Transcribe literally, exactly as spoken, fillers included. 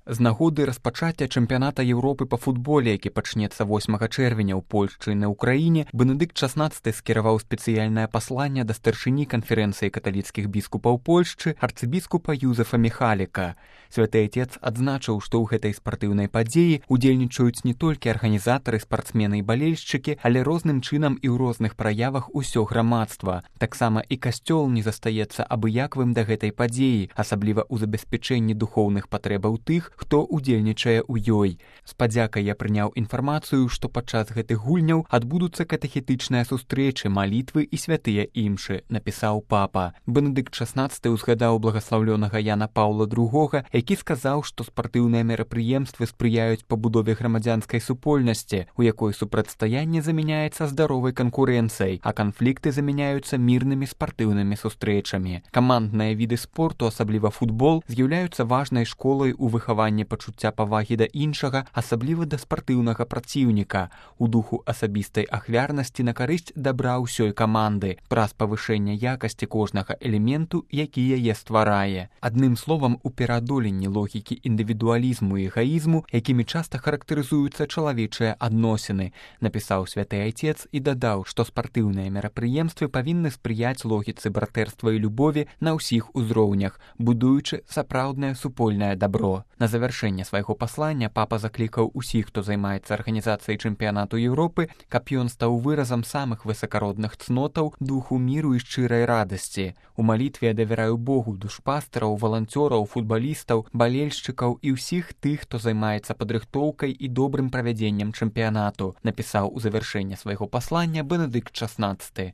З нагоды распачацця чэмпіяната Еўропы па футболе, які пачнецца восьмага чэрвеня ў Польшчы і на Ўкраіне, Бенедыкт шаснаццаты скіраваў спецыяльнае пасланне да старшыні канферэнцыі каталіцкіх біскупаў Польшчы арцыбіскупа Юзефа Міхаліка. Святы Отец адзначыў, што ў гэтай спартыўнай падзеі удзельнічаюць не толькі арганізатары, спартсмены і балельшчыкі, але розным чынам і ў розных праявах усё грамадства. Таксама і касцёл не застаецца абыякавым да гэтай падзеі, асабліва ў забеспячэнні духоўных патрэбаў тых, хто удзельнічае ў ёй. З падзякай я прыняў інфармацыю, што падчас гэтых гульняў адбудуцца катэхетычныя сустрэчы, малітвы і святыя імшы, напісаў папа. Бенедыкт шаснаццаты ўзгадаў благаслаўлёнага Яна Паўла другога, які сказаў, што спартыўныя мерапрыемствы спрыяюць пабудове грамадзянскай супольнасці, у якой супрацьстаянне замяняецца здаровай канкурэнцыяй, а канфлікты замяняюцца мірнымі спартыўнымі сустрэчамі. Камандныя віды спорту, асабліва футбол, з'яўляюцца важнай школай у выхаванні пачуцця павагі да іншага, асабліва да спартыўнага праціўніка, у духу асабістай ахвярнасці на карысць дабра ўсёй каманды, праз павышэнне якасці кожнага элементу, які яе стварае. Адным словам, у пераадоленні логікі індывідуалізму і эгаізму, якімі часта характарызуюцца чалавечыя адносіны, напісаў Святы Отец і дадаў, што спартыўныя мерапрыемствы павінны спрыяць логіцы братэрства і любові на ўсіх узроўнях, будуючы сапраўднае супольнае дабро. На завяршэнне свайго паслання папа заклікаў усіх, хто займаецца арганізацыяй чэмпіянату Еўропы, каб ён стаў выразам самых высакародных цнотаў, духу міру і шчырай радасці. У малітве я давяраю Богу душпастараў, валанцёраў, футбалістаў, балельшчыкаў і ўсіх тых, хто займаецца падрыхтоўкай і добрым правядзеннем чэмпіянату, напісаў у завяршэнне свайго паслання Бенедыкт шаснаццаты.